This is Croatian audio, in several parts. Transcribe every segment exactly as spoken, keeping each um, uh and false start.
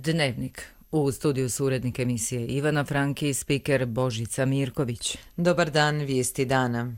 Dnevnik. U studiju su urednik emisije Ivana Franki i spiker Božica Mirković. Dobar dan, vijesti dana.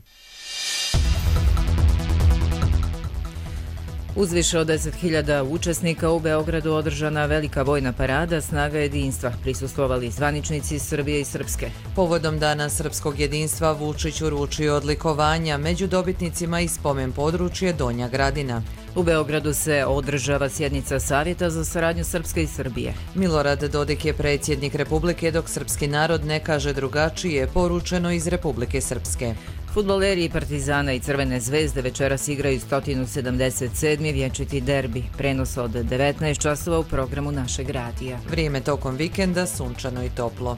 Uz više od deset hiljada učesnika u Beogradu održana velika vojna parada Snaga jedinstva. Prisustvovali zvaničnici Srbije i Srpske. Povodom Dana srpskog jedinstva Vučić uručio odlikovanja među dobitnicima i spomen područje Donja Gradina. U Beogradu se održava sjednica Savjeta za saradnju Srpske i Srbije. Milorad Dodik je predsjednik Republike, dok srpski narod ne kaže drugačije, poručeno iz Republike Srpske. Fudbaleri Partizana i Crvene zvezde večeras igraju sto sedamdeset sedmi vječiti derbi. Prenos od devetnaest časova u programu našeg radija. Vrijeme tokom vikenda sunčano i toplo.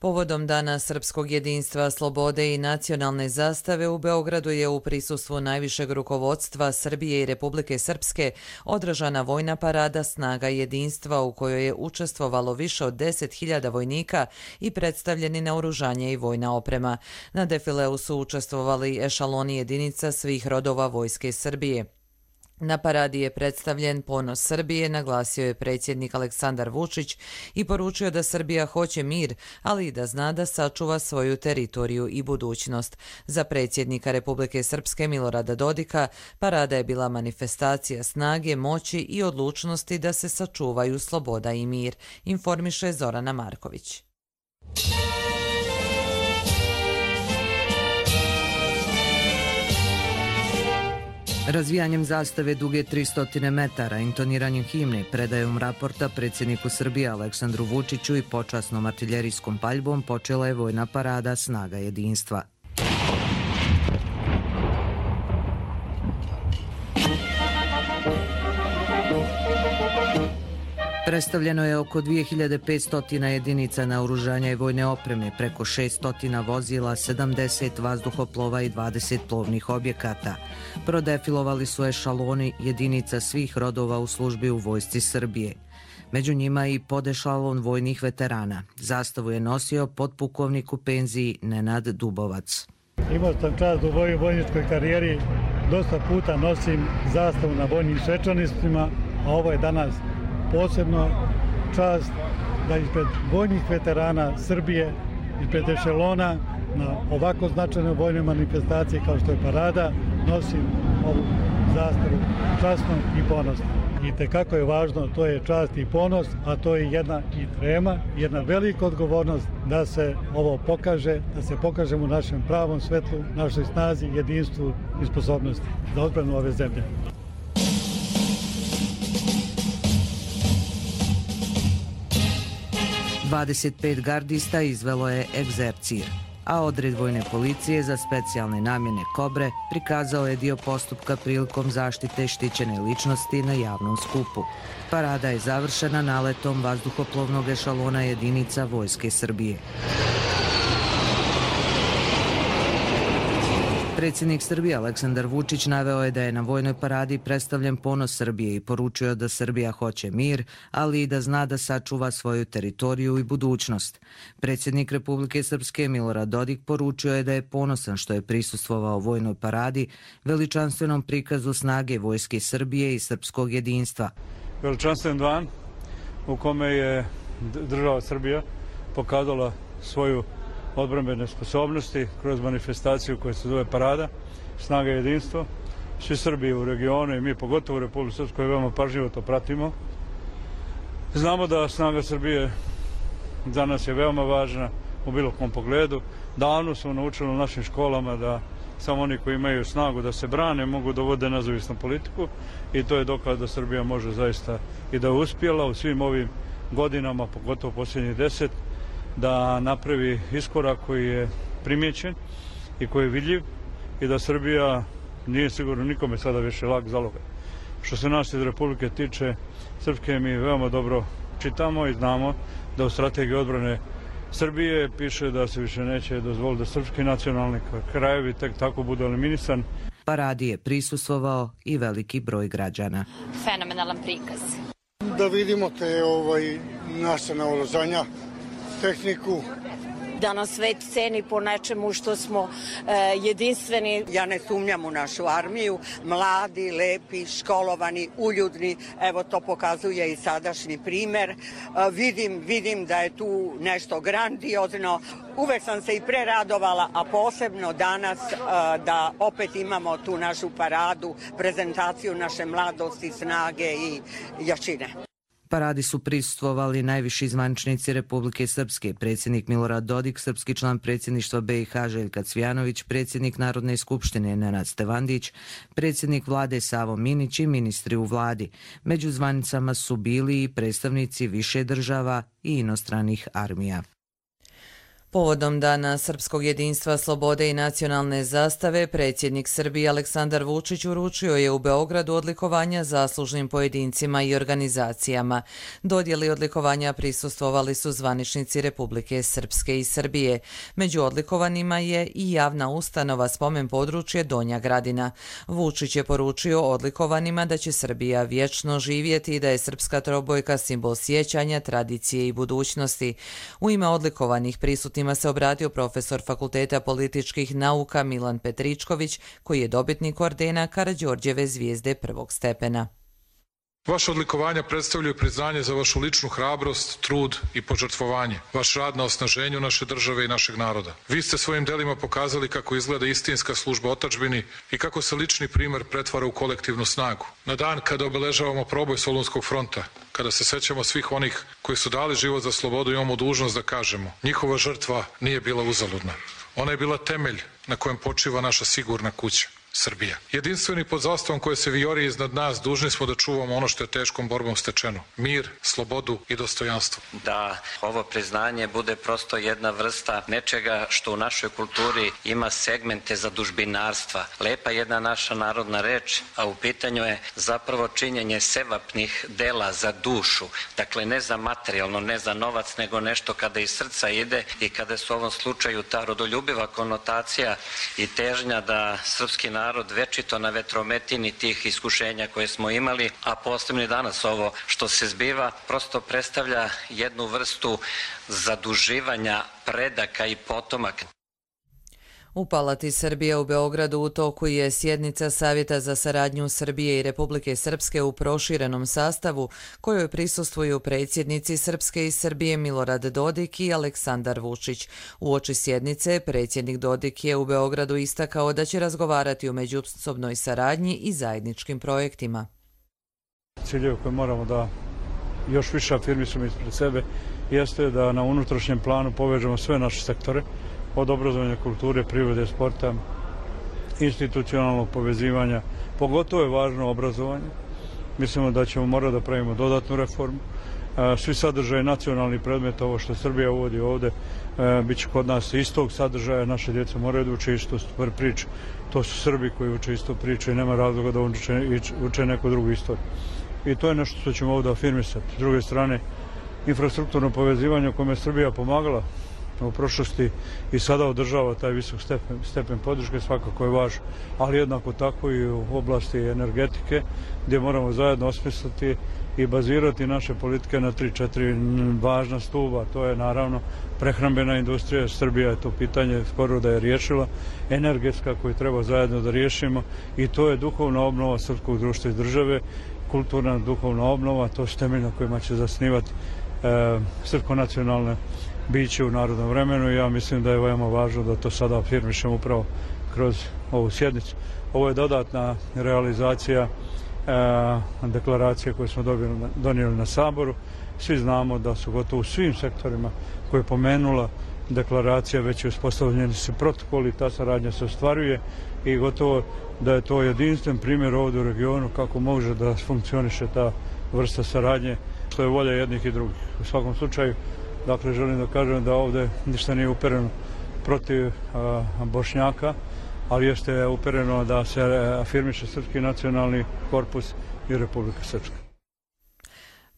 Povodom Dana srpskog jedinstva, slobode i nacionalne zastave u Beogradu je u prisustvu najvišeg rukovodstva Srbije i Republike Srpske održana vojna parada Snaga jedinstva u kojoj je učestvovalo više od deset hiljada vojnika i predstavljeni naoružanje i vojna oprema. Na defileu su učestvovali ešaloni jedinica svih rodova Vojske Srbije. Na paradi je predstavljen ponos Srbije, naglasio je predsjednik Aleksandar Vučić i poručio da Srbija hoće mir, ali i da zna da sačuva svoju teritoriju i budućnost. Za predsjednika Republike Srpske Milorada Dodika parada je bila manifestacija snage, moći i odlučnosti da se sačuvaju sloboda i mir, informiše Zorana Marković. Razvijanjem zastave duge tristo metara, intoniranjem himne, predajom raporta predsjedniku Srbije Aleksandru Vučiću i počasnom artiljerijskom paljbom počela je vojna parada Snaga jedinstva. Predstavljeno je oko dvije hiljade petsto jedinica naoružanja i vojne opreme, preko šesto vozila, sedamdeset vazduhoplova i dvadeset plovnih objekata. Prodefilovali su ešaloni jedinica svih rodova u službi u Vojsci Srbije. Među njima i podešalon vojnih veterana. Zastavu je nosio potpukovnik u penziji Nenad Dubovac. Imao sam čast u mojoj vojničkoj karijeri, dosta puta nosim zastavu na vojnim svečanostima, a ovo je danas posebno čast da ispred vojnih veterana Srbije, ispred ešelona na ovako značajnoj vojnoj manifestaciji kao što je parada, nosim ovu zastavu časno i ponosno. I tekako je važno, to je čast i ponos, a to je jedna i trema, jedna velika odgovornost da se ovo pokaže, da se pokažemo u našem pravom svetlu, našoj snazi, jedinstvu i sposobnosti za odbranu ove zemlje. dvadeset pet gardista izvelo je egzercir, a odred vojne policije za specijalne namjene Kobre prikazao je dio postupka prilikom zaštite štićene ličnosti na javnom skupu. Parada je završena naletom vazduhoplovnog ešalona jedinica Vojske Srbije. Predsjednik Srbije Aleksandar Vučić naveo je da je na vojnoj paradi predstavljen ponos Srbije i poručio da Srbija hoće mir, ali i da zna da sačuva svoju teritoriju i budućnost. Predsjednik Republike Srpske Milorad Dodik poručio je da je ponosan što je prisustvovao vojnoj paradi, veličanstvenom prikazu snage Vojske Srbije i srpskog jedinstva. Veličanstven dan u kome je država Srbija pokazala svoju odbrambene sposobnosti kroz manifestaciju koja se zove parada Snaga jedinstva. Svi Srbi u regionu i mi pogotovo u Republike Srpskoj veoma pažljivo to pratimo. Znamo da snaga Srbije za nas je veoma važna u bilo kom pogledu. Davno smo naučili u našim školama da samo oni koji imaju snagu da se brane mogu da vode nezavisnu politiku i to je dokaz da Srbija može zaista i da je uspjela u svim ovim godinama, pogotovo posljednjih deset, da napravi iskorak koji je primjećen i koji je vidljiv i da Srbija nije sigurno nikome sada više lak zalogaj. Što se nas iz Republike tiče, Srpske mi veoma dobro čitamo i znamo da u strategiji odbrane Srbije piše da se više neće dozvoliti da srpski nacionalni krajevi tek tako budu eliminisan. Paradi je prisustvovao i veliki broj građana. Fenomenalan prikaz. Da vidimo te ovaj, naše naoružanja, tehniku da nas svet ceni po nečemu što smo jedinstveni. Ja ne sumnjam u našu armiju, mladi, lepi, školovani, uljudni, evo to pokazuje i sadašnji primer. Vidim, vidim da je tu nešto grandiozno. Uvek sam se i preradovala, a posebno danas da opet imamo tu našu paradu, prezentaciju naše mladosti, snage i jačine. Paradi su prisustvovali najviši zvaničnici Republike Srpske, predsjednik Milorad Dodik, srpski član predsjedništva B i H Željka Cvijanović, predsjednik Narodne skupštine Nenad Stevandić, predsjednik vlade Savo Minić i ministri u vladi. Među zvanicama su bili i predstavnici više država i inostranih armija. Povodom Dana srpskog jedinstva, slobode i nacionalne zastave, predsjednik Srbije Aleksandar Vučić uručio je u Beogradu odlikovanja zaslužnim pojedincima i organizacijama. Dodjeli odlikovanja prisustvovali su zvaničnici Republike Srpske i Srbije. Među odlikovanima je i javna ustanova Spomen područje Donja Gradina. Vučić je poručio odlikovanima da će Srbija vječno živjeti i da je srpska trobojka simbol sjećanja, tradicije i budućnosti. U ime odlikovanih prisutnih ima se obratio profesor Fakulteta političkih nauka Milan Petričković, koji je dobitnik ordena Karađorđeve zvijezde prvog stepena. Vaše odlikovanja predstavljaju priznanje za vašu ličnu hrabrost, trud i požrtvovanje, vaš rad na osnaženju naše države i našeg naroda. Vi ste svojim delima pokazali kako izgleda istinska služba otadžbini i kako se lični primer pretvara u kolektivnu snagu. Na dan kada obeležavamo proboj Solunskog fronta, kada se sećamo svih onih koji su dali život za slobodu, imamo dužnost da kažemo: njihova žrtva nije bila uzaludna. Ona je bila temelj na kojem počiva naša sigurna kuća. Srbija. Jedinstveni pod zastavom koje se vijori iznad nas, dužni smo da čuvamo ono što je teškom borbom stečeno. Mir, slobodu i dostojanstvo. Da ovo priznanje bude prosto jedna vrsta nečega što u našoj kulturi ima segmente zadužbinarstva. Lepa jedna naša narodna reč, a u pitanju je zapravo činjenje sevapnih dela za dušu. Dakle, ne za materijalno, ne za novac, nego nešto kada iz srca ide i kada su u ovom slučaju ta rodoljubiva konotacija i težnja da srpski narod večito na vetrometini tih iskušenja koje smo imali, a posebno i danas ovo što se zbiva, prosto predstavlja jednu vrstu zaduživanja predaka i potomaka. U Palati Srbije u Beogradu u toku je sjednica Savjeta za saradnju Srbije i Republike Srpske u proširenom sastavu, kojoj prisustvuju predsjednici Srpske i Srbije Milorad Dodik i Aleksandar Vučić. Uoči sjednice predsjednik Dodik je u Beogradu istakao da će razgovarati o međusobnoj saradnji i zajedničkim projektima. Ciljevi koje moramo da još više afirmisamo ispred sebe jeste da na unutrašnjem planu povežemo sve naše sektore, od obrazovanja, kulture, privrede, sporta, institucionalnog povezivanja. Pogotovo je važno obrazovanje. Mislimo da ćemo morati da pravimo dodatnu reformu. Svi sadržaje nacionalni predmet, ovo što Srbija uvodi ovde, bit će kod nas istog sadržaja. Naše djeca moraju da uče istu priču. To su Srbi koji uče istu priču i nema razloga da uče, uče neku drugu istoriju. I to je nešto što ćemo ovdje afirmisati. S druge strane, infrastrukturno povezivanje u kome je Srbija pomagala u prošlosti i sada održava taj visok stepen, stepen podrške, svakako je važno, ali jednako tako i u oblasti energetike, gdje moramo zajedno osmisliti i bazirati naše politike na tri četiri važna stuba. To je naravno prehrambena industrija, Srbija je to pitanje skoro da je riješila, energetska koju treba zajedno da riješimo, i to je duhovna obnova srpskog društva i države, kulturna duhovna obnova, to su temelj na kojima će zasnivati e, srpsko-nacionalne biće u narodnom vremenu. Ja mislim da je veoma važno da to sada afirmišemo upravo kroz ovu sjednicu. Ovo je dodatna realizacija e, deklaracije koje smo dobili, donijeli na Saboru. Svi znamo da su gotovo u svim sektorima koje je pomenula deklaracija već je uspostavljeni se protokoli, ta saradnja se ostvaruje i gotovo da je to jedinstven primjer ovdje u regionu kako može da funkcioniše ta vrsta saradnje, što je volja jednih i drugih. U svakom slučaju, dakle, želim da kažem da ovdje ništa nije upereno protiv a, Bošnjaka, ali jeste upereno da se afirmiše srpski nacionalni korpus i Republika Srpska.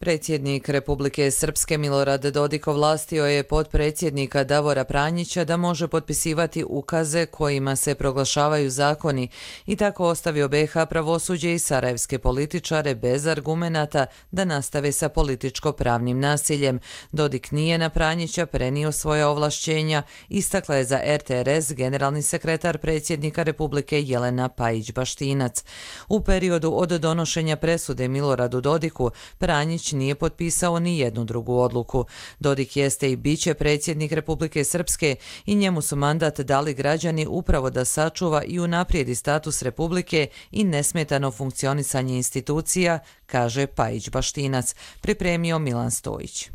Predsjednik Republike Srpske Milorad Dodik ovlastio je potpredsjednika Davora Pranjića da može potpisivati ukaze kojima se proglašavaju zakoni i tako ostavio B iH pravosuđe i sarajevske političare bez argumenata da nastave sa političko-pravnim nasiljem. Dodik nije na Pranjića prenio svoje ovlašćenja, istakla je za R T R S generalni sekretar predsjednika Republike Jelena Pajić-Baštinac. U periodu od donošenja presude Miloradu Dodiku, Pranjić nije potpisao ni jednu drugu odluku. Dodik jeste i biće predsjednik Republike Srpske i njemu su mandat dali građani upravo da sačuva i unaprijedi status Republike i nesmetano funkcionisanje institucija, kaže Pajić-Baštinac, pripremio Milan Stojić.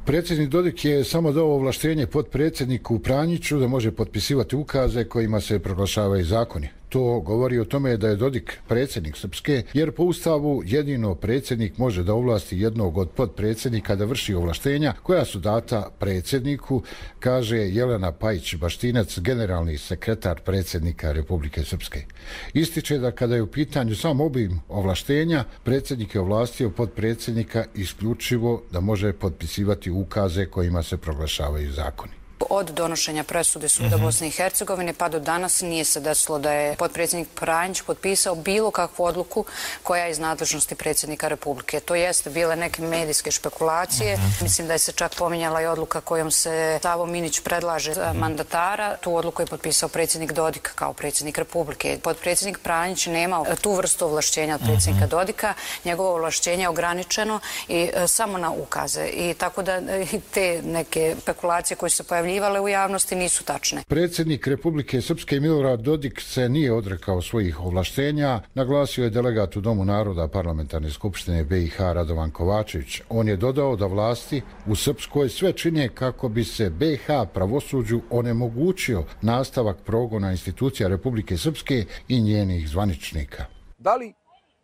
Predsjednik Dodik je samo dao ovlaštenje potpredsjedniku Pranjiću da može potpisivati ukaze kojima se proglašavaju zakoni. To govori o tome da je Dodik predsjednik Srpske, jer po Ustavu jedino predsjednik može da ovlasti jednog od potpredsjednika da vrši ovlaštenja koja su data predsjedniku, kaže Jelena Pajić-Baštinac, generalni sekretar predsjednika Republike Srpske. Ističe da kada je u pitanju sam obim ovlaštenja, predsjednik je ovlastio potpredsjednika isključivo da može potpisivati ukaze kojima se proglašavaju zakoni. Od donošenja presude Suda Bosne i Hercegovine pa do danas nije se desilo da je potpredsjednik Pranjić potpisao bilo kakvu odluku koja je iz nadležnosti predsjednika Republike. To jeste bile neke medijske špekulacije. Uh-huh. Mislim da je se čak pominjala i odluka kojom se Savo Minić predlaže mandatara. Tu odluku je potpisao predsjednik Dodik kao predsjednik Republike. Potpredsjednik Pranjić nema tu vrstu ovlašćenja od predsjednika uh-huh. Dodika. Njegovo ovlašćenje je ograničeno i e, samo na ukaze. I tako da e, te neke špekulacije koje se pojavljivale u javnosti nisu tačne. Predsjednik Republike Srpske Milorad Dodik se nije odrekao svojih ovlaštenja, naglasio je delegat u Domu naroda Parlamentarne skupštine B iH Radovan Kovačević. On je dodao da vlasti u Srpskoj sve čine kako bi se B iH pravosuđu onemogućio nastavak progona institucija Republike Srpske i njenih zvaničnika. Da li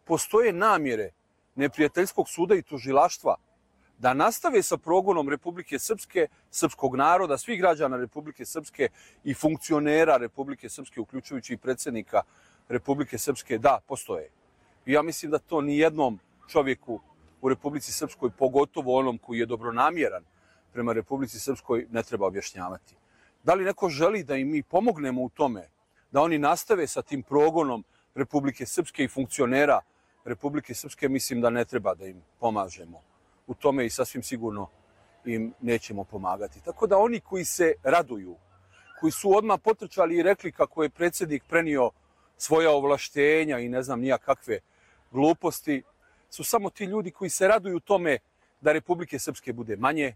postoje namjere neprijateljskog suda i tužilaštva da nastave sa progonom Republike Srpske, srpskog naroda, svih građana Republike Srpske i funkcionera Republike Srpske, uključujući i predsjednika Republike Srpske? Da, postoje. I ja mislim da to ni jednom čovjeku u Republici Srpskoj, pogotovo onom koji je dobronamjeran prema Republici Srpskoj, ne treba objašnjavati. Da li neko želi da im mi pomognemo u tome, da oni nastave sa tim progonom Republike Srpske i funkcionera Republike Srpske? Mislim da ne treba da im pomažemo u tome i sasvim sigurno im nećemo pomagati. Tako da oni koji se raduju, koji su odmah potrčali i rekli kako je predsjednik prenio svoja ovlaštenja i ne znam nija kakve gluposti, su samo ti ljudi koji se raduju tome da Republike Srpske bude manje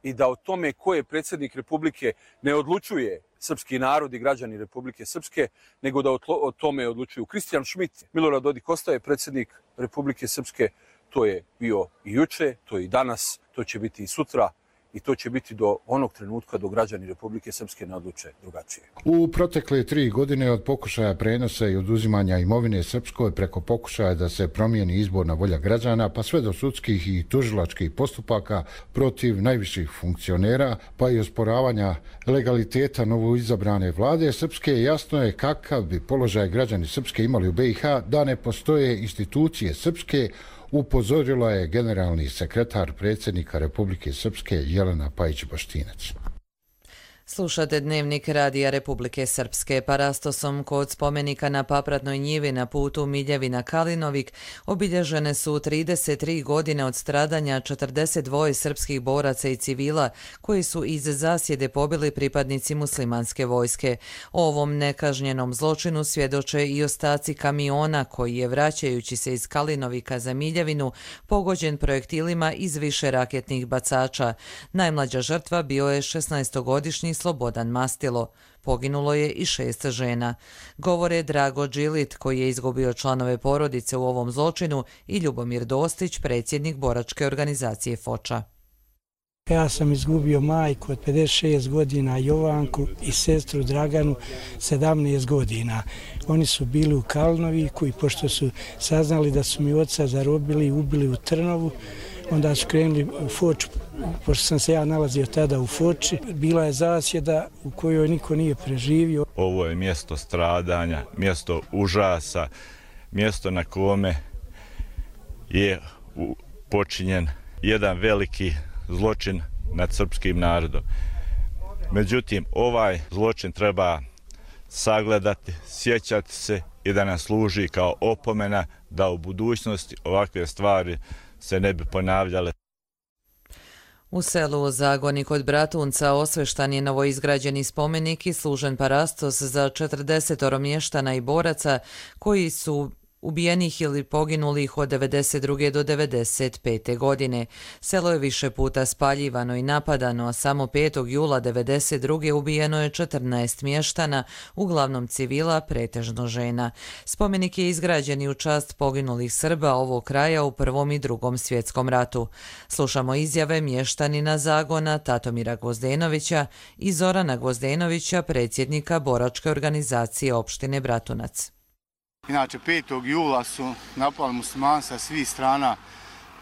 i da o tome ko je predsjednik Republike ne odlučuje srpski narod i građani Republike Srpske, nego da o tome odlučuju Kristijan Šmit. Milorad Dodik ostaje predsjednik Republike Srpske. To je bio i juče, to je i danas, to će biti i sutra i to će biti do onog trenutka do građani Republike Srpske ne odluče drugačije. U protekle tri godine od pokušaja prenosa i oduzimanja imovine Srpskoj preko pokušaja da se promijeni izborna volja građana pa sve do sudskih i tužilačkih postupaka protiv najviših funkcionera pa i osporavanja legaliteta novoizabrane vlade Srpske, jasno je kakav bi položaj građani Srpske imali u B iH da ne postoje institucije Srpske, upozorila je generalni sekretar predsjednika Republike Srpske Jelena Pajić-Baštinac. Slušate Dnevnik Radija Republike Srpske. Parastosom kod spomenika na Papratnoj njivi na putu Miljevina-Kalinovik obilježene su trideset tri godine od stradanja četrdeset dva srpskih boraca i civila koji su iz zasjede pobili pripadnici muslimanske vojske. O ovom nekažnjenom zločinu svjedoče i ostaci kamiona koji je, vraćajući se iz Kalinovika za Miljevinu, pogođen projektilima iz više raketnih bacača. Najmlađa žrtva bio je šesnaestogodišnji Slobodan Mastilo. Poginulo je i šest žena. Govore Drago Đilit, koji je izgubio članove porodice u ovom zločinu, i Ljubomir Dostić, predsjednik boračke organizacije Foča. Ja sam izgubio majku od pedeset šest godina, Jovanku, i sestru Draganu sedamnaest godina. Oni su bili u Kalnoviku i pošto su saznali da su mi oca zarobili i ubili u Trnovu, onda su krenuli u Foču, pošto sam se ja nalazio tada u Foči. Bila je zasjeda u kojoj niko nije preživio. Ovo je mjesto stradanja, mjesto užasa, mjesto na kome je počinjen jedan veliki zločin nad srpskim narodom. Međutim, ovaj zločin treba sagledati, sjećati se i da nam služi kao opomena da u budućnosti ovakve stvari se ne bi ponavljale. U selu Zagoni kod Bratunca osveštan je novoizgrađeni spomenik i služen parastos za četrdesetoro mještana i boraca koji su ubijenih ili poginulih od devedeset druge do devedeset pete godine. Selo je više puta spaljivano i napadano, a samo petog jula devedeset druge ubijeno je četrnaest mještana, uglavnom civila, pretežno žena. Spomenik je izgrađen i u čast poginulih Srba ovog kraja u Prvom i Drugom svjetskom ratu. Slušamo izjave mještanina Zagona Tatomira Gvozdenovića i Zorana Gvozdenovića, predsjednika boračke organizacije opštine Bratunac. Inače, petog jula su napali muslimani sa svih strana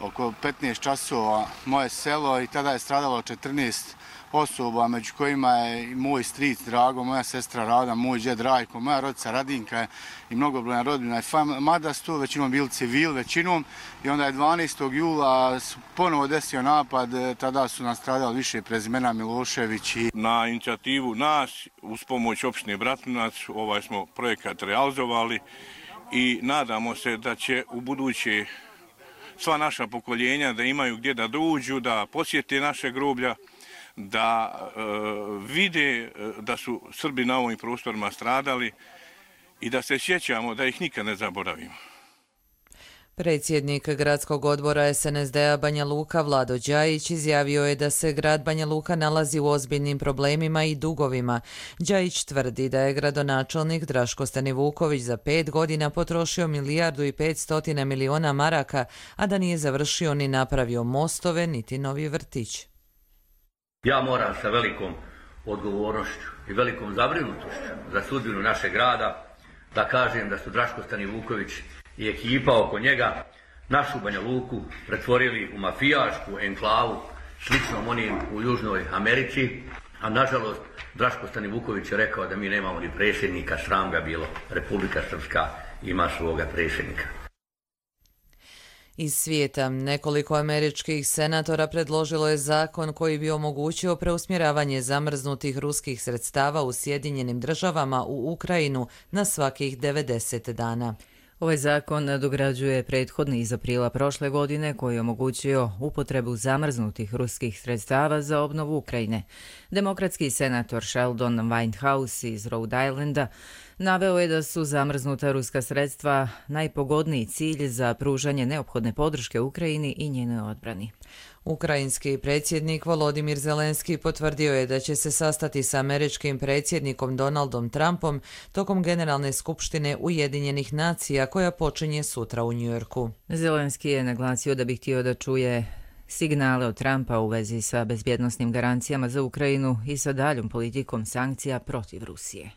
oko petnaest časova moje selo i tada je stradalo četrnaest osoba, među kojima je i moj stric Drago, moja sestra Rada, moj džed Rajko, moja rodica Radinka i mnogobrojna rodbina. Mada su to većinom bili civil, većinom, i onda je dvanaestog jula ponovo desio napad, tada su nastradali više prezimena Milošević. I... Na inicijativu nas, uz pomoć opštine Bratunac, ovaj smo projekat realizovali i nadamo se da će u buduće sva naša pokoljenja da imaju gdje da dođu, da posjete naše groblja, da e, vide da su Srbi na ovim prostorima stradali i da se sjećamo da ih nikad ne zaboravimo. Predsjednik gradskog odbora es en es de a Banja Luka Vlado Đajić izjavio je da se grad Banja Luka nalazi u ozbiljnim problemima i dugovima. Đajić tvrdi da je gradonačelnik Draško Stanivuković za pet godina potrošio milijardu i petstotina miliona maraka, a da nije završio ni napravio mostove niti novi vrtić. Ja moram sa velikom odgovornošću i velikom zabrinutošću za sudbinu našeg grada da kažem da su Draško Stanivuković i ekipa oko njega našu Banja Luku pretvorili u mafijašku enklavu sličnom onim u Južnoj Americi, a nažalost Draško Stanivuković je rekao da mi nemamo ni predsjednika, sram ga bilo, Republika Srpska ima svoga predsjednika. Iz svijeta nekoliko američkih senatora predložilo je zakon koji bi omogućio preusmjeravanje zamrznutih ruskih sredstava u Sjedinjenim državama u Ukrajinu na svakih devedeset dana. Ovaj zakon nadograđuje prethodni iz aprila prošle godine koji je omogućio upotrebu zamrznutih ruskih sredstava za obnovu Ukrajine. Demokratski senator Sheldon Whitehouse iz Rhode Islanda naveo je da su zamrznuta ruska sredstva najpogodniji cilj za pružanje neophodne podrške Ukrajini i njenoj odbrani. Ukrajinski predsjednik Volodimir Zelenski potvrdio je da će se sastati sa američkim predsjednikom Donaldom Trumpom tokom Generalne skupštine Ujedinjenih nacija koja počinje sutra u Njujorku. Zelenski je naglasio da bi htio da čuje signale od Trumpa u vezi sa bezbjednosnim garancijama za Ukrajinu i sa daljom politikom sankcija protiv Rusije.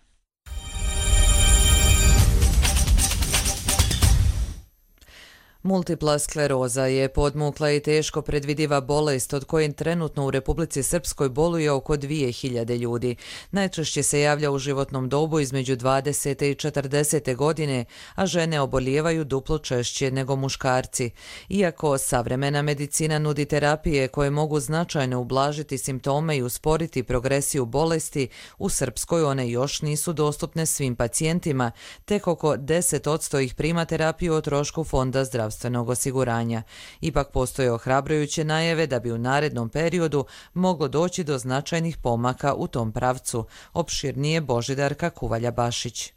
Multipla skleroza je podmukla i teško predvidiva bolest od koje trenutno u Republici Srpskoj boluje oko dvije hiljade ljudi. Najčešće se javlja u životnom dobu između dvadesete i četrdesete godine, a žene obolijevaju duplo češće nego muškarci. Iako savremena medicina nudi terapije koje mogu značajno ublažiti simptome i usporiti progresiju bolesti, u Srpskoj one još nisu dostupne svim pacijentima, tek oko deset posto ih prima terapiju o trošku Fonda zdravstvenog osiguranja. Ipak postoje ohrabrujuće najave da bi u narednom periodu moglo doći do značajnih pomaka u tom pravcu. Opširnije Božidarka Kuvalja-Bašić.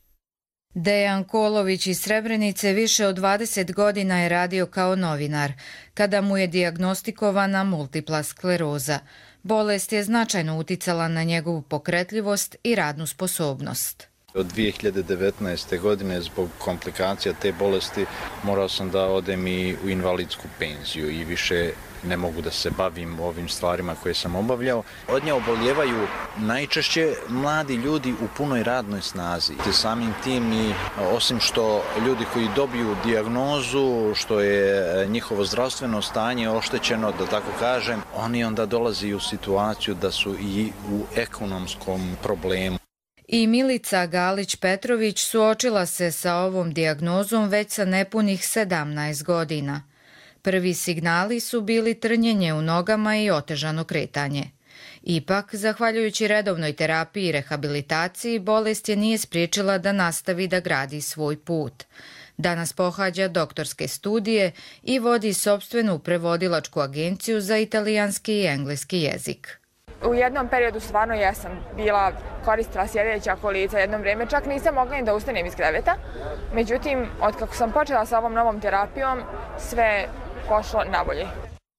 Dejan Kolović iz Srebrenice više od dvadeset godina je radio kao novinar, kada mu je dijagnostikovana multipla skleroza. Bolest je značajno uticala na njegovu pokretljivost i radnu sposobnost. Od dvije hiljade devetnaeste. godine zbog komplikacija te bolesti morao sam da odem i u invalidsku penziju i više ne mogu da se bavim ovim stvarima koje sam obavljao. Od nje oboljevaju najčešće mladi ljudi u punoj radnoj snazi. Samim tim i osim što ljudi koji dobiju dijagnozu, što je njihovo zdravstveno stanje oštećeno, da tako kažem, oni onda dolaze u situaciju da su i u ekonomskom problemu. I Milica Galić-Petrović suočila se sa ovom dijagnozom već sa nepunih sedamnaest godina. Prvi signali su bili trnjenje u nogama i otežano kretanje. Ipak, zahvaljujući redovnoj terapiji i rehabilitaciji, bolest je nije spriječila da nastavi da gradi svoj put. Danas pohađa doktorske studije i vodi sopstvenu prevodilačku agenciju za italijanski i engleski jezik. U jednom periodu stvarno jesam bila koristila sjedeća kolica, jedno vrijeme čak nisam mogla ni da ustanem iz kreveta. Međutim, od kako sam počela sa ovom novom terapijom, sve pošlo nabolje.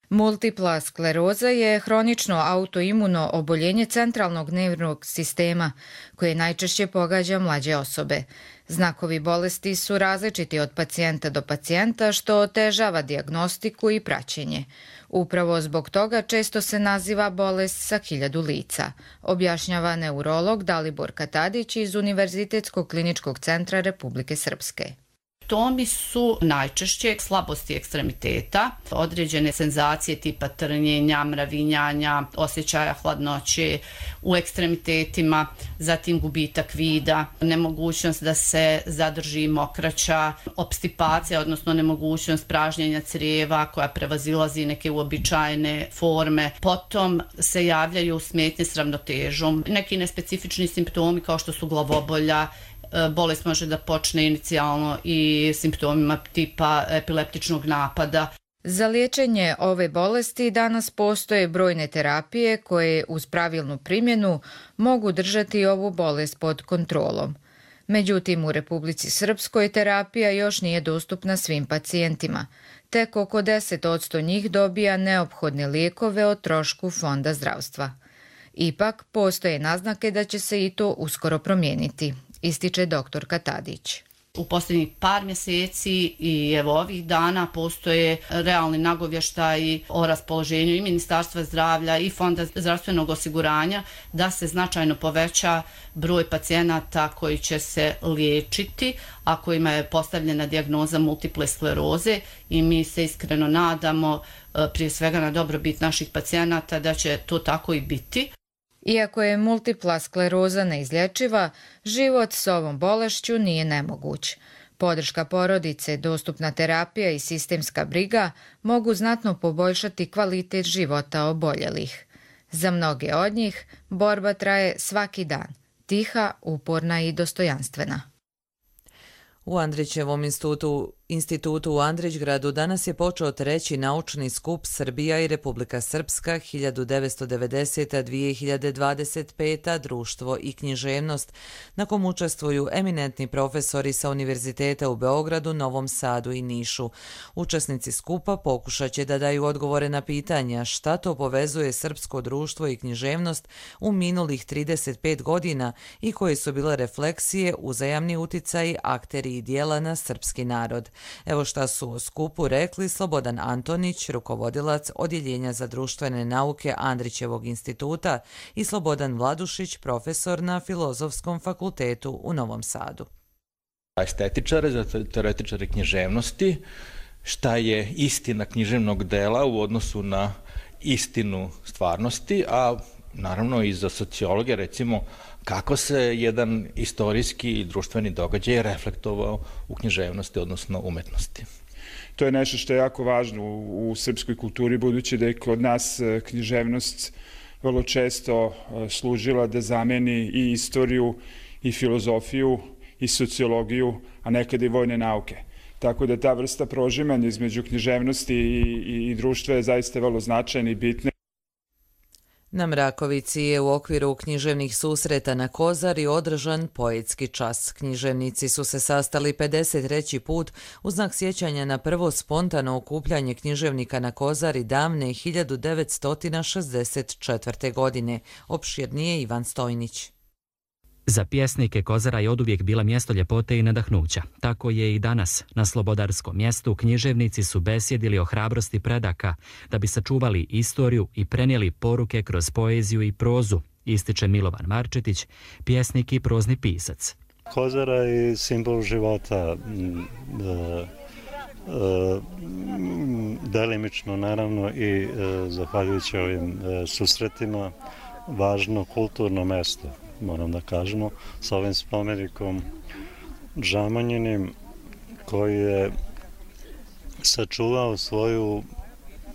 Multipla skleroza je hronično autoimuno oboljenje centralnog nervnog sistema koje najčešće pogađa mlađe osobe. Znakovi bolesti su različiti od pacijenta do pacijenta, što otežava dijagnostiku i praćenje. Upravo zbog toga često se naziva bolest sa hiljadu lica, objašnjava neurolog Dalibor Katadić iz Univerzitetskog kliničkog centra Republike Srpske. Simptomi su najčešće slabosti ekstremiteta, određene senzacije tipa trnjenja, mravinjanja, osjećaja hladnoće u ekstremitetima, zatim gubitak vida, nemogućnost da se zadrži mokraća, opstipacija, odnosno nemogućnost pražnjenja crijeva koja prevazilazi neke uobičajene forme. Potom se javljaju smetnje s ravnotežom, neki nespecifični simptomi kao što su glavobolja. Bolest može da počne inicijalno i simptomima tipa epileptičnog napada. Za liječenje ove bolesti danas postoje brojne terapije koje uz pravilnu primjenu mogu držati ovu bolest pod kontrolom. Međutim, u Republici Srpskoj terapija još nije dostupna svim pacijentima. Tek oko deset posto njih dobija neophodne lijekove o trošku Fonda zdravstva. Ipak, postoje naznake da će se i to uskoro promijeniti, ističe doktor Katadić. U posljednjih par mjeseci i evo ovih dana postoje realni nagovještaji o raspoloženju i Ministarstva zdravlja i Fonda zdravstvenog osiguranja da se značajno poveća broj pacijenata koji će se liječiti, a kojima je postavljena dijagnoza multiple skleroze, i mi se iskreno nadamo, prije svega na dobrobit naših pacijenata, da će to tako i biti. Iako je multipla skleroza neizlječiva, život s ovom bolešću nije nemoguć. Podrška porodice, dostupna terapija i sistemska briga mogu znatno poboljšati kvalitet života oboljelih. Za mnoge od njih borba traje svaki dan, tiha, uporna i dostojanstvena. U Andrićevom institutu, institutu u Andrićgradu danas je počeo treći naučni skup Srbija i Republika Srpska hiljadu devetsto devedeseta do dvije hiljade dvadeset peta društvo i književnost, na kom učestvuju eminentni profesori sa Univerziteta u Beogradu, Novom Sadu i Nišu. Učesnici skupa pokušat će da daju odgovore na pitanja šta to povezuje srpsko društvo i književnost u minulih trideset pet godina i koje su bile refleksije, uzajamni uticaji, akteri i dijela na srpski narod. Evo šta su o skupu rekli Slobodan Antonić, rukovodilac Odjeljenja za društvene nauke Andrićevog instituta, i Slobodan Vladušić, profesor na Filozofskom fakultetu u Novom Sadu. Estetičare, za teoretičare književnosti, šta je istina književnog dela u odnosu na istinu stvarnosti, a naravno i za sociologe, recimo, kako se jedan istorijski i društveni događaj reflektovao u književnosti, odnosno umetnosti. To je nešto što je jako važno u, u srpskoj kulturi, budući da je kod nas književnost vrlo često služila da zameni i istoriju, i filozofiju, i sociologiju, a nekada i vojne nauke. Tako da ta vrsta prožimanja između književnosti i, i, i društva je zaista vrlo značajna i bitna. Na Mrakovici je u okviru književnih susreta na Kozari održan poetski čas. Književnici su se sastali pedeset treći put u znak sjećanja na prvo spontano okupljanje književnika na Kozari davne hiljadu devetsto šezdeset četvrte. godine. Opširnije Ivan Stojnić. Za pjesnike Kozara je oduvijek bila mjesto ljepote i nadahnuća. Tako je i danas. Na Slobodarskom mjestu književnici su besjedili o hrabrosti predaka da bi sačuvali istoriju i prenijeli poruke kroz poeziju i prozu, ističe Milovan Marčetić, pjesnik i prozni pisac. Kozara je simbol života, delimično naravno i zahvaljujući ovim susretima važno kulturno mjesto, moram da kažemo, sa ovim spomenikom Žamanjinim, koji je sačuvao svoju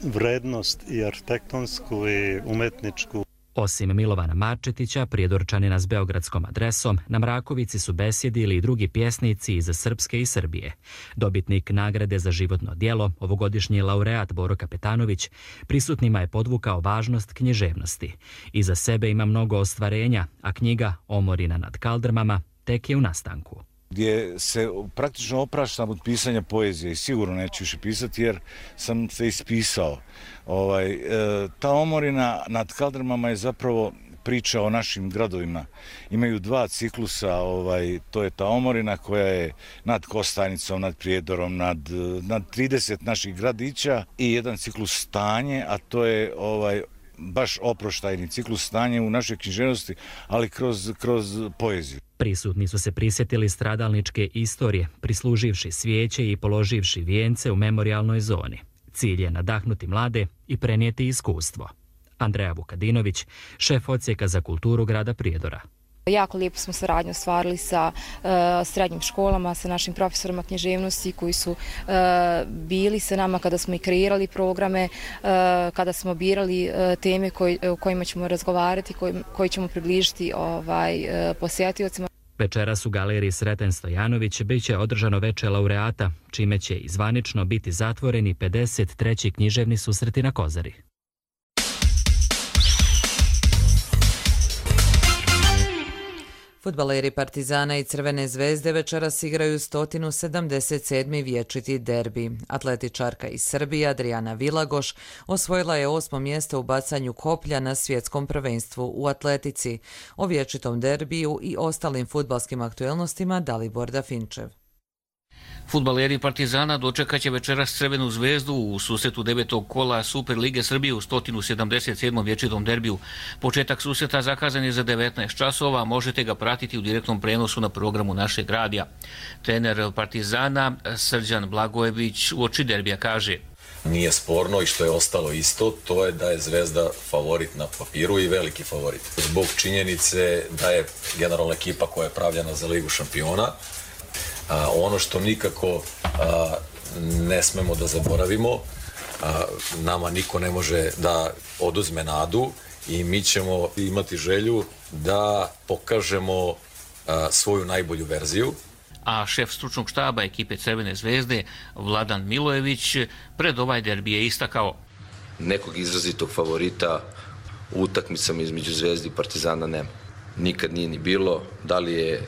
vrednost i arhitektonsku i umetničku. Osim Milovana Marčetića, prijedorčanina s beogradskom adresom, na Mrakovici su besjedili i drugi pjesnici iz Srpske i Srbije. Dobitnik nagrade za životno djelo, ovogodišnji laureat Boro Kapetanović, prisutnima je podvukao važnost književnosti. Iza sebe ima mnogo ostvarenja, a knjiga Omorina nad kaldrmama tek je u nastanku. Gdje se praktično opraštam od pisanja poezije i sigurno neću više pisati jer sam se ispisao. Ovaj, e, ta Omorina nad kaldrmama je zapravo priča o našim gradovima. Imaju dva ciklusa, ovaj, to je ta Omorina koja je nad Kostajnicom, nad Prijedorom, nad, nad trideset naših gradića i jedan ciklus Stanje, a to je ovaj, baš oproštajni ciklus Stanje u našoj književnosti, ali kroz, kroz poeziju. Prisutni su se prisjetili stradalničke istorije, prisluživši svijeće i položivši vijence u memorijalnoj zoni. Cilj je nadahnuti mlade i prenijeti iskustvo. Andreja Vukadinović, šef odsjeka za kulturu grada Prijedora. Jako lijepo smo saradnju ostvarili sa uh, srednjim školama, sa našim profesorima književnosti koji su uh, bili sa nama kada smo i kreirali programe, uh, kada smo birali uh, teme koj, o kojima ćemo razgovarati, koji, koji ćemo približiti ovaj, uh, posjetiocima. Večeras u galeriji Sreten Stojanović bit će održano veče laureata, čime će i zvanično biti zatvoreni pedeset treći književni susreti na Kozari. Fudbaleri Partizana i Crvene zvezde večeras igraju sto sedamdeset sedmi vječiti derbi. Atletičarka iz Srbije Adriana Vilagoš osvojila je osmo mjesto u bacanju koplja na svjetskom prvenstvu u atletici. O vječitom derbiju i ostalim fudbalskim aktuelnostima Dalibor Dafinčev. Fudbaleri Partizana dočekat će večeras Crvenu zvezdu u susretu devetog kola Super Lige Srbije u sto sedamdeset sedmom vječitom derbiju. Početak susreta zakazan je za devetnaest časova, možete ga pratiti u direktnom prenosu na programu našeg radija. Trener Partizana Srđan Blagojević uoči derbija kaže: Nije sporno i što je ostalo isto, to je da je Zvezda favorit na papiru i veliki favorit. Zbog činjenice da je generalna ekipa koja je pravljena za Ligu šampiona. A, ono što nikako a, ne smemo da zaboravimo, a, nama niko ne može da oduzme nadu i mi ćemo imati želju da pokažemo a, svoju najbolju verziju. A šef stručnog štaba ekipe Crvene zvezde Vladan Milojević pred ovaj derbi je istakao: Nekog izrazitog favorita u utakmicama između Zvezde i Partizana nema. Nikad nije ni bilo, da li je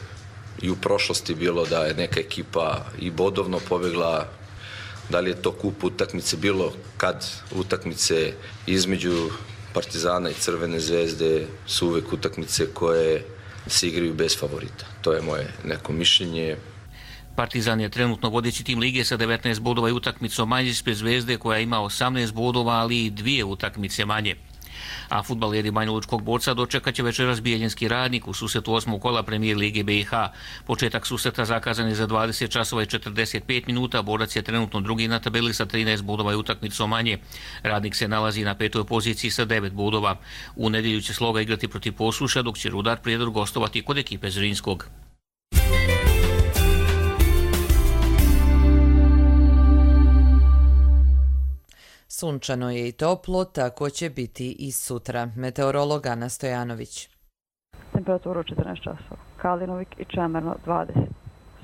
i u prošlosti bilo da je neka ekipa i bodovno pobjegla, da li je to kup utakmice, bilo kad utakmice između Partizana i Crvene zvezde su uvek utakmice koje se igraju bez favorita. To je moje neko mišljenje. Partizan je trenutno vodeći tim lige sa devetnaest bodova i utakmicom manje ispred Zvezde koja ima osamnaest bodova, ali i dvije utakmice manje. A fudbaleri Banjalučkog Borca dočekat će večeras Bijeljinski Radnik u susretu osmog kola Premijer Lige B i H. Početak susreta zakazan je za dvadeset časova i četrdeset pet minuta. Borac je trenutno drugi na tabeli sa trinaest bodova i utakmicom manje. Radnik se nalazi na petoj poziciji sa devet bodova. U nedjelju će Sloga igrati protiv Posuša, dok će Rudar Prijedor gostovati kod ekipe Zrinskog. Sunčano je i toplo, tako će biti i sutra. Meteorolog Ana Stojanović. Temperaturu četrnaest časova. Kalinovik i Čemerno dvadeset.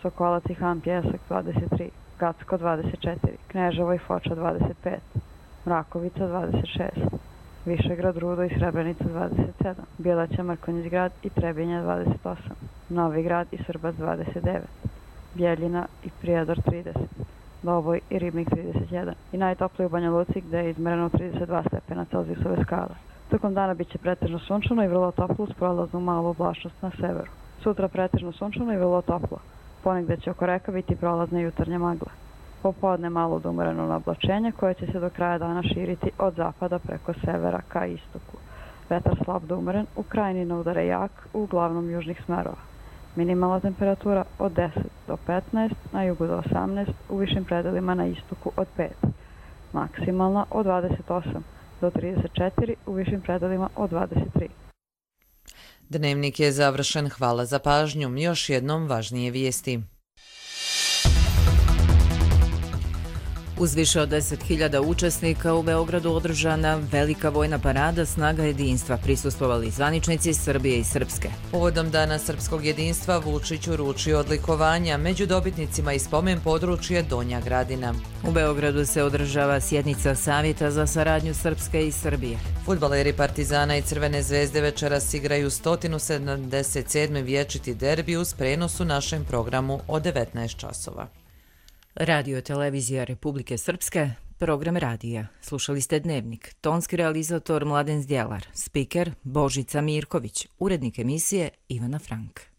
Sokolac i Han Pjesak dvadeset tri. Gacko dvadeset četiri. Kneževo i Foča dvadeset pet. Mrakovica dvadeset šest. Višegrad, Rudo i Srebrenica dvadeset sedam. Bjelaća, Mrkonjić grad i Trebinja dvadeset osam. Novi grad i Srbac dvadeset devet. Bjeljina i Prijedor trideset. Doboj i Ribnik trideset jedan i najtopliji u Banja Luci gdje je izmereno trideset dva stepena Celzijusove skale. Tokom dana bit će pretežno sunčano i vrlo toplo uz prolaznu malu oblačnost na severu. Sutra pretežno sunčano i vrlo toplo. Ponegdje će oko reka biti prolazne jutarnje magle. Popodne malo odumreno na oblačenje koje će se do kraja dana širiti od zapada preko severa ka istoku. Vetar slab do umeren, u krajini udare jak, uglavnom južnih smerova. Minimalna temperatura od deset do petnaest, na jugu do osamnaest, u višim predelima na istoku od pet. Maksimalna od dvadeset osam do trideset četiri, u višim predelima od dvadeset tri. Dnevnik je završen. Hvala za pažnju. Još jednom važnije vijesti. Uz više od deset hiljada učesnika u Beogradu održana velika vojna parada Snaga jedinstva, prisustvovali zvaničnici Srbije i Srpske. Povodom Dana srpskog jedinstva Vučić uručio odlikovanja, među dobitnicima i spomen područje Donja Gradina. U Beogradu se održava sjednica Savjeta za saradnju Srpske i Srbije. Fudbaleri Partizana i Crvene zvezde večeras igraju sto sedamdeset sedmi vječiti derbi uz prenos u našem programu od devetnaest časova. Radio televizija Republike Srpske, program radija. Slušali ste Dnevnik, tonski realizator Mladen Zdjelar, spiker Božica Mirković, urednik emisije Ivana Frank.